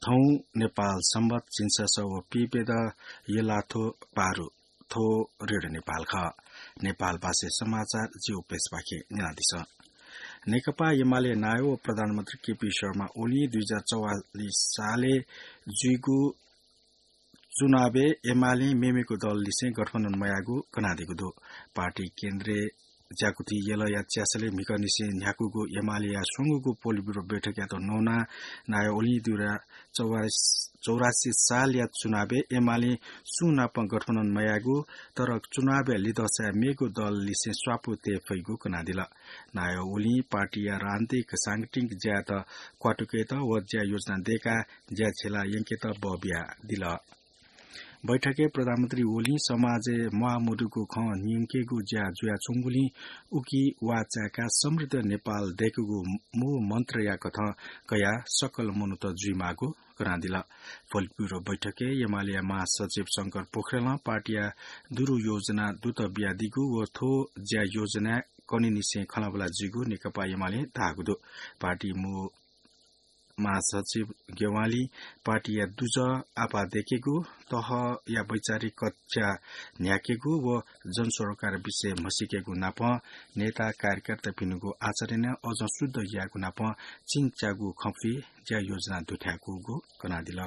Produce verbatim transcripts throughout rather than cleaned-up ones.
थौं नेपाल संवत् झिंछसः व पीप्यदँ यलाथ्व पारु। थ्व रेडियो नेपाल खः। नेपाल भाषाय् समाचार जि उपेश पाखें न्यनादिसँ। नेकपा एमाले नायः व प्रधानमन्त्री केपी शर्मा ओलीं दुई हजार चौवालिस सालय् जुइगु चुनावय् एमालें मेमेगु दललिसें गठबन्धन मयाःगु कनादीगु दु। पार्टी केन्द्रीय ज्याकुथि यलया च्यासलय् म्हिगःनिसें न्ह्याकूगु एमालेया स्वंगूगु पोलिटब्युरो बैठकयात न्वनाः नायः ओलीं दुई हजार चौवालिस, चौरासी सालया चुनावय् एमालें सुं नाप गठबन्धन मयाःगु, तर चुनावया लिधंसाय् मेगु दललिसें स्वापू तये फइगु कनादिल। नायः ओलीं पार्टीया राजनीतिक सांगठनिक ज्यायात क्वातुकेत व ज्या योजना दय्काः ज्या झेला यंकेत बः बियादिल। बैठकय् प्रधानमन्त्री ओलीं समाजय् म्वाःमदुगु खँ न्यंकेगु ज्या जुयाच्वंगुलिं उकी वाःचाय्काः समृद्ध नेपाल दय्केगु मूल मन्त्रया कथं कयाः सकल मनूत जुइमाःगु कनादिल। पोलिटब्युरो बैठकय् एमालेया महासचिव शंकर पोखरेलं पार्टीया दुरु योजना दुत बियादीगु व थ्व ज्या योजनाय् कनीनिसें खँल्हाबल्हा जुइगु नेकपा एमालें धाःगु दु। पार्टी मू महासचिव ज्ञवालीं पार्टीया दुजः आपाः दय्केगु, तहया वैचारिक कक्षा न्ह्याकेगु व जनसरोकार विषय म्हसीकेगु नापं नेता कार्यकर्तापिनिगु आचरणय् अझ शुद्ध यायेगु नापं चिन्चागु खँपुइ ज्या योजना दुथ्याकूगु कनादिल।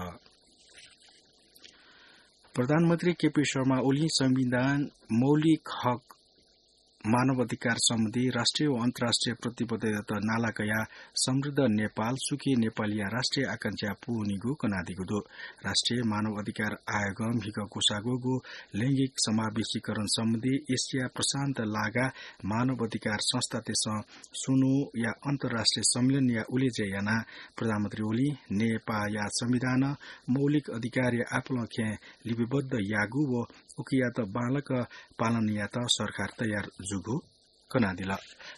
प्रधानमन्त्री केपी शर्मा ओलीं संविधान, मौलिक हक, मानव अधिकार सम्बन्धी राष्ट्रिय व अन्तर्राष्ट्रिय प्रतिबद्धतायात नाला कयाः समृद्ध नेपाल, सुखी नेपालया राष्ट्रिय आकांक्षा पूवनीगु कनादीगु दु। राष्ट्रिय मानव अधिकार आयोगं म्हिगः क्वसाःगु लैंगिक समावेशीकरण सम्बन्धी एसिया प्रशान्त लागा मानव अधिकार संस्थातय्सं स्वन्हुया अन्तर्राष्ट्रिय सम्मेलनया उलेज्या यानाः प्रधानमन्त्री ओलीं नेपाःया संविधानं मौलिक अधिकारया आपालं खँय् लिपिबद्ध याःगु व उकियात बांलाक पालन यायेत सरकार तयार जूगु कनादिल।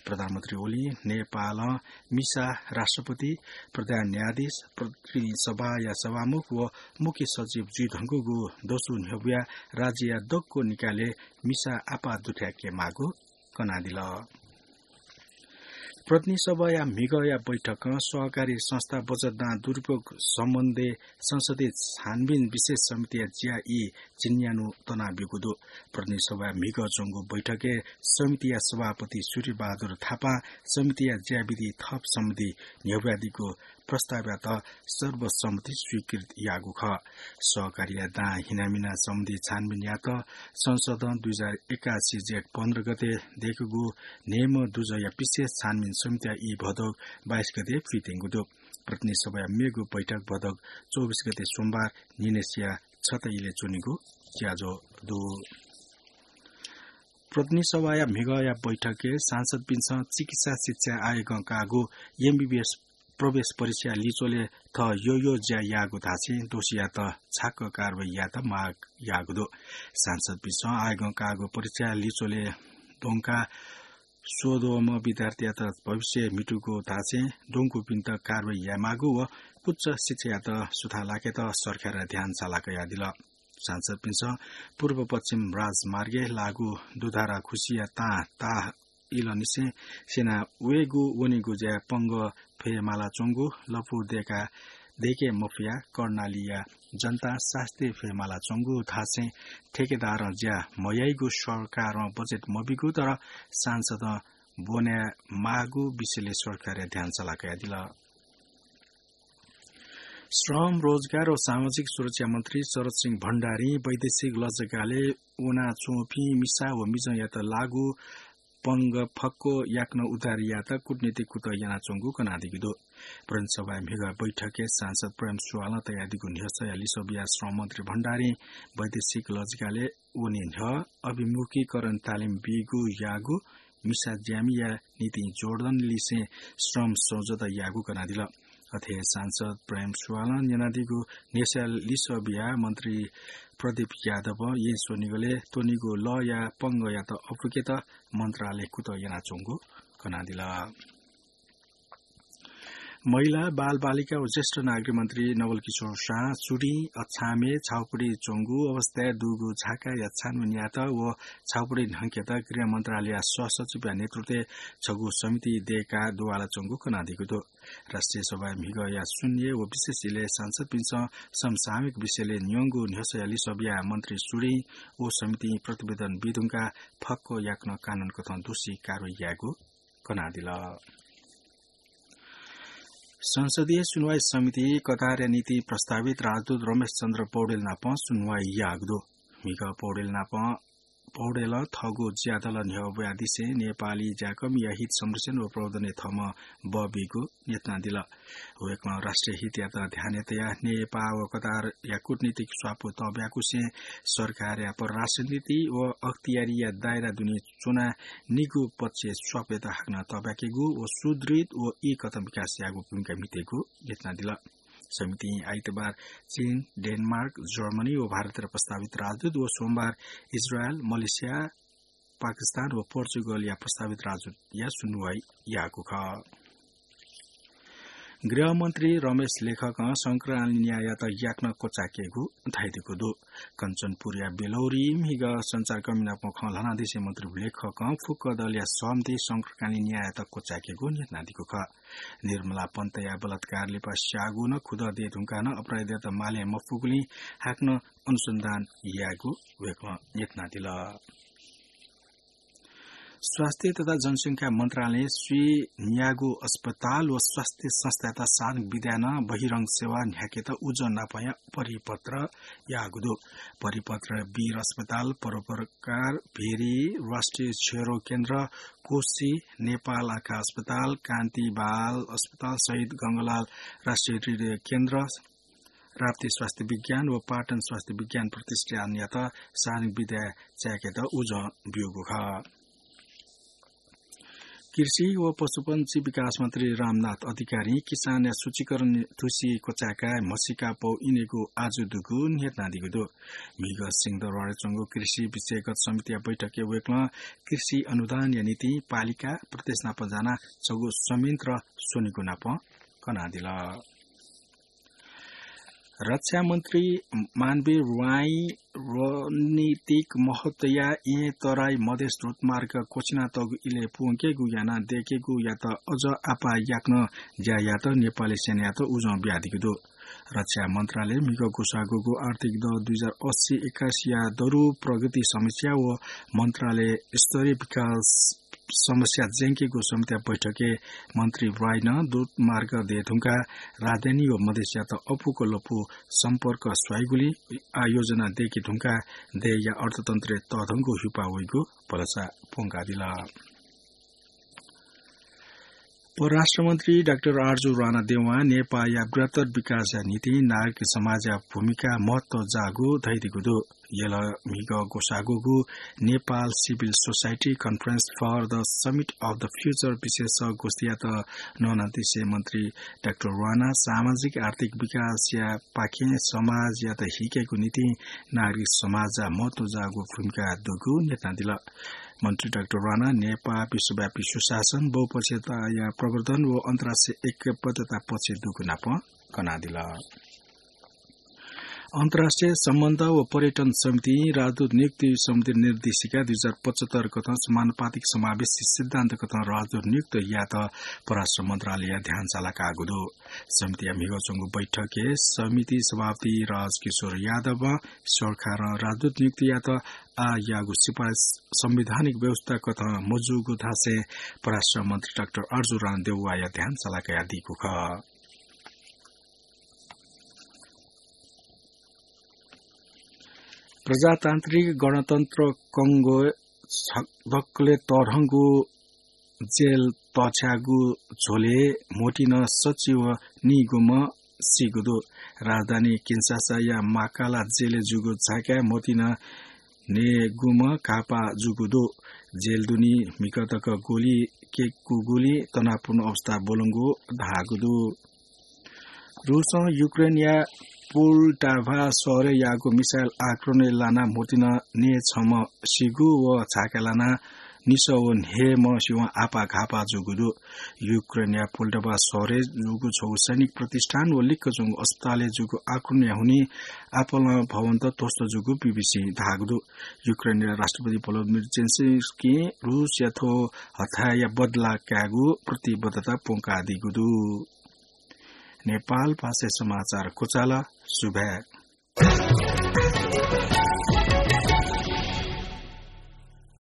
प्रधानमन्त्री ओलीं नेपालं मिसा राष्ट्रपति, प्रधान न्यायाधीश, प्रतिनिधि सभाया सभामुख व मुख्य सचिव जुइधुंकूगु दसु न्ह्यब्वया राज्यया दक्व निकायलय् मिसा आपाः दुथ्याकेमाःगु कनादिल। प्रतिनिधि सभाया म्हिगःया बैठकं सहकारी संस्था बचत दां दुरुपयोग सम्बन्धी संसदीय छानबिन विशेष समितिया ज्या ई झिंन्यान्हु तनाब्यूगु दु। प्रतिनिधि सभाया म्हिगः च्वंगु बैठकय् समितिया सभापति सूर्यबहादुर थापां समितिया ज्याविधि थप सम्बन्धी न्ह्यब्वयादीगु प्रस्तावयात सर्वसम्मति स्वीकृत याःगु खः। सहकारीया दां हिनामिना सम्बन्धी छानबिन यायेत संसदं दुई हजार एकासी जेठ पन्ध्र गते दय्कूगु न्हय्म्ह दुजःया विशेष छानबिन समितिया ई भदौ बाइस गते फित्यंगु दु। प्रतिनिधि सभाया मेगु बैठक भदौ चौबिस गते सोमबार न्हिनय्सिया छता इलय् च्वनीगु ज्याझ्वः दु। प्रतिनिधि सभाया म्हिगःया बैठकय् सांसदपिन्सं चिकित्सा शिक्षा आयोगं काःगु एमबीबीएस प्रवेश परीक्षा लिच्वलय् थः यःयः ज्या याःगु धासें दोषीयात छाक्क कारवाही यायेत माग याःगु दु। सांसदपिन्सं आयोगं काःगु परीक्षा लिच्वलय् द्वंकाः स्वद्वःम्ह विद्यार्थीयात भविष्य म्हितूगु धासें द्वंकूपिन्त कारवाही यायेमाःगु व उच्च शिक्षायात सुथां लाकेत सरकारया ध्यान साला कयादिल। सांसदपिन्सं पूर्व पश्चिम राजमार्गय् लाःगु दुधारा खुसिया तां ताः इलंनिसें स्यना वयेगु वनेगु ज्याय् पंगः फयेमालाच्वंगु, लँपु दय्का दय्के मफयाः कर्णालीया जनतां सास्ती फयेमालाच्वंगु धासें ठेकेदारं ज्या मयाइगु, सरकारं बजेट मबीगु तर सांसदं ब्वनेमाःगु विषयलय् सरकारया ध्यान साला कयादिल। श्रम, रोजगार व सामाजिक सुरक्षा मन्त्री शरद सिंह भण्डारीं वैदेशिक लजगालय् वनाच्वंपिं मिसा व मिजंयात लाःगु पंगः फक्व याकनं उद्धार यायेत कूटनीतिक कुतः यानाच्वंगु कनादीगु दु। प्रतिनिधि सभाया म्हिगः बैठकय् सांसद प्रेम सुवालं तयादीगु न्ह्यसःया लिसः बियाः श्रम मन्त्री भण्डारीं वैदेशिक लजगालय् वने न्ह्यः अभिमुखीकरण तालिम बीगु याःगु, मिसा ज्यामिया निंतिं जोर्डनलिसें श्रम सम्झौता याःगु कनादिल। अथे हे सांसद प्रेम सुवालं न्यनादीगु न्ह्यसःया लिसः बियाः मन्त्री प्रदीप यादवं येँ स्वनिगलय् त्वनीगु लःया पंगःयात अःपुकेत मन्त्रालयं कुतः यानाच्वंगु कनादिल। महिला, बालबालिका व ज्येष्ठ नागरिक मन्त्री नवल किशोर शाह चुडिं अछामय् छाउपडी च्वंगु अवस्थाय् दुगु झाकाया छानबिन यायेत व छाउपडी न्हंकेत गृह मन्त्रालयया सहसचिवया नेतृत्वय् छगू समिति दयेकाः दुवाला च्वंगु कनादीगु दु। राष्ट्रिय सभाय् म्हिगःया शून्य व विशेष इलय् सांसदपिन्सं समसामयिक विषयलय् न्यंगु न्ह्यसःया लिसः बियाः मन्त्री चुडिं व समितिं प्रतिवेदन बीधुंकाः फक्व याकनं कानून कथं दोषी कारवाही यायेगु कनादिल। संसदीय सुनुवाई समिति कतारया निंतिं प्रस्तावित राजदूत रमेश चन्द्र पौडेल नाप सुनुवाई याःगु दु। म्हिगः पौडेल नाप, पौडेलं थःगु ज्यादल न्ह्यब्वयादिसें नेपाली ज्याकःमिया हित संरक्षण व प्रवर्धनय् थःम्हं बः बीगु न्ह्यथनादिल। वय्कलं राष्ट्रिय हितयात ध्यानय् तयाः नेपाः व कतारया कूटनीतिक स्वापू तःब्याकुसें सरकारया परराष्ट्र नीति व अख्तियारीया दायरा दुने च्वनाः निगू पक्षय् स्वापय्त हाकनं तःब्याकेगु व सुदृढ व एकता विकास यायेगु भूमिका म्हितेगु न्ह्यथनादिल। समितिं आइतबार चीन, डेनमार्क, जर्मनी व भारतया प्रस्तावित राजदूत व सोमबार इजरायल, मलेसिया, पाकिस्तान व पोर्चुगलया प्रस्तावित राजदूतया सुनुवाई याःगु खः। गृहमन्त्री रमेश लेखकं शंकरकालीन न्याययात याकनं क्वचायेकेगु धयादीगु दु। कञ्चनपुरया बेलौरी म्हिगः सञ्चारकर्मी नाप खँ ल्हानादिसें मन्त्री लेखकं फुक्क दलया सहमति शंकरकालीन न्याययात क्वचायेकेगु न्ह्यथनादीगु खः। निर्मला पन्तया बलात्कार लिपा स्याःगु नं खुदँ दये धुंकाः नं अपराधीयात माले मफुगुलिं हाकनं अनुसन्धान यायेगु वय्कलं न्ह्यथनादिल। स्वास्थ्य तथा जनसंख्या मन्त्रालयं स्वीन्यागू अस्पताल व स्वास्थ्य संस्थायात सार्वजनिक विधाय् नं बहिरंग सेवा न्ह्याकेत उजं नापया परिपत्र याःगु दु। परिपत्र वीर अस्पताल, परोपकार, भेरी, राष्ट्रिय क्षयरोग केन्द्र, कोशी, नेपाल आँखा अस्पताल, कान्ति बाल अस्पताल सहित गंगालाल राष्ट्रिय हृदय केन्द्र, राप्ती स्वास्थ्य विज्ञान व पाटन स्वास्थ्य विज्ञान प्रतिष्ठानयात सार्वजनिक विधाय् चायेकेत उजं ब्यूगु खः। कृषि व पशुपन्छी विकास मन्त्री रामनाथ अधिकारीं किसानया सूचीकरण धुसी क्वचाय्काः म्हसीका पौ इनेगु आजु दुगु न्ह्यथनादीगु दु। म्हिगः सिंहदरबारय् च्वंगु कृषि विषयगत समितिया बैठकय् वय्कलं कृषि अनुदानया निंतिं पालिका प्रदेश नाप जानाः छगू संयन्त्र स्वनेगु नाप कनादिल। रक्षा मन्त्री मानवीर वाइं रणनीतिक महत्वया येँ तराई मधेस द्रुतमार्ग क्वछिनातःगु इलय् प्वंकेगु यानाः दयेकेगुयात अझ आपाः याकनं ज्या यायेत नेपाली सेनायात उजं बियादीगु दु। रक्षा मन्त्रालयं म्हिगः ग्वसाःगु आर्थिक दँ दुई हजार अस्सी एकासीया दरु प्रगति समीक्षा व मन्त्रालय स्तरीय विकास समस्या ज्यंकेगु समितिया बैठकय् मन्त्री वाइं द्रुतमार्ग दये धुंकाः राजधानी व मधेसयात अप्वःगु लँपु सम्पर्क स्वइगुलिं आः योजना दयेके धुंकाः देय्‌या अर्थतन्त्रय् तःधंगु हिउपाः वइगु भलसा प्वंकादिल। परराष्ट्र मन्त्री डाक्टर आरजु राणा देवां नेपाःया बृहत्तर विकासया निंतिं नागरिक समाजया भूमिका महत्व जाःगु धयादीगु दु। यल म्हिगः ग्वसाःगु Nepal civil society conference for the summit of the future विषयक गोष्ठीयात न्वनादिसें मन्त्री डाक्टर राणा सामाजिक आर्थिक विकासया पाखें समाजयात हिकेगु निंतिं नागरिक समाजया महत्व जाःगु भूमिका दुगु न्ह्यथनादिल। मन्त्री डाक्टर राणा नेपाः विश्वव्यापी सुशासन, बहुपक्षीयताया प्रवर्धन व अन्तर्राष्ट्रिय ऐक्यबद्धता पक्ष दुगु नाप कनादिल। अन्तर्राष्ट्रिय सम्बन्ध व पर्यटन समितिं राजदूत नियुक्ति सम्बन्धी निर्देशिका दुई हजार पचहत्तर कथं समानुपातिक समावेशी सिद्धान्त कथं राजदूत नियुक्त यायेत परराष्ट्र मन्त्रालयया ध्यान सालाकाःगु दु। समितिया म्हिगः च्वंगु बैठकय् समिति सभापति राजकिशोर यादवं सरकारं राजदूत नियुक्त यायेत आः याःगु सिफारिस संवैधानिक व्यवस्था कथं मजूगु धासें परराष्ट्र मन्त्री डाक्टर आरजु राणा देउवाया ध्यान सालाकादीगु खः। प्रजातान्त्रिक गणतन्त्र कंगो दकलय् तःधंगु जेल तछ्याःगु झ्वलय् म्होतिं सच्छि व नीगुम्ह सीगु दु। राजधानी किन्सासाया माकाला जेलय् जूगु झाकाय् म्होतिं नीगुम्ह घाःपाः जूगु दु। जेल दुने म्हिगः तक गोली क्यंकूगुलिं तनावपूर्ण अवस्था ब्वलंगु धाःगु दु। रूसं युक्रेनया पोल्टाभा शहरय् याःगु मिसाइल आक्रमणय् लानाः म्होतिं नीछम्ह सीगु व झाकाय् लानाः निसः व न्हय्म्ह सिवं आपाः घाःपाः जूगु दु। युक्रेनया पोल्टाभा शहरय् जूगु छगू सैनिक प्रतिष्ठान व लिक्क च्वंगु अस्पतालय् जूगु आक्रमणया हुनिं आपालं भवनत ध्वस्त जूगु बीबीसीं धाःगु दु। युक्रेनया राष्ट्रपति भोलोदिमिर जेलेन्स्कीं रूसया थ्व हथाय्‌या बदला कायेगु प्रतिबद्धता प्वंकादीगु दु। नेपाल भाषाय् समाचार क्वचाल। सुभाय्।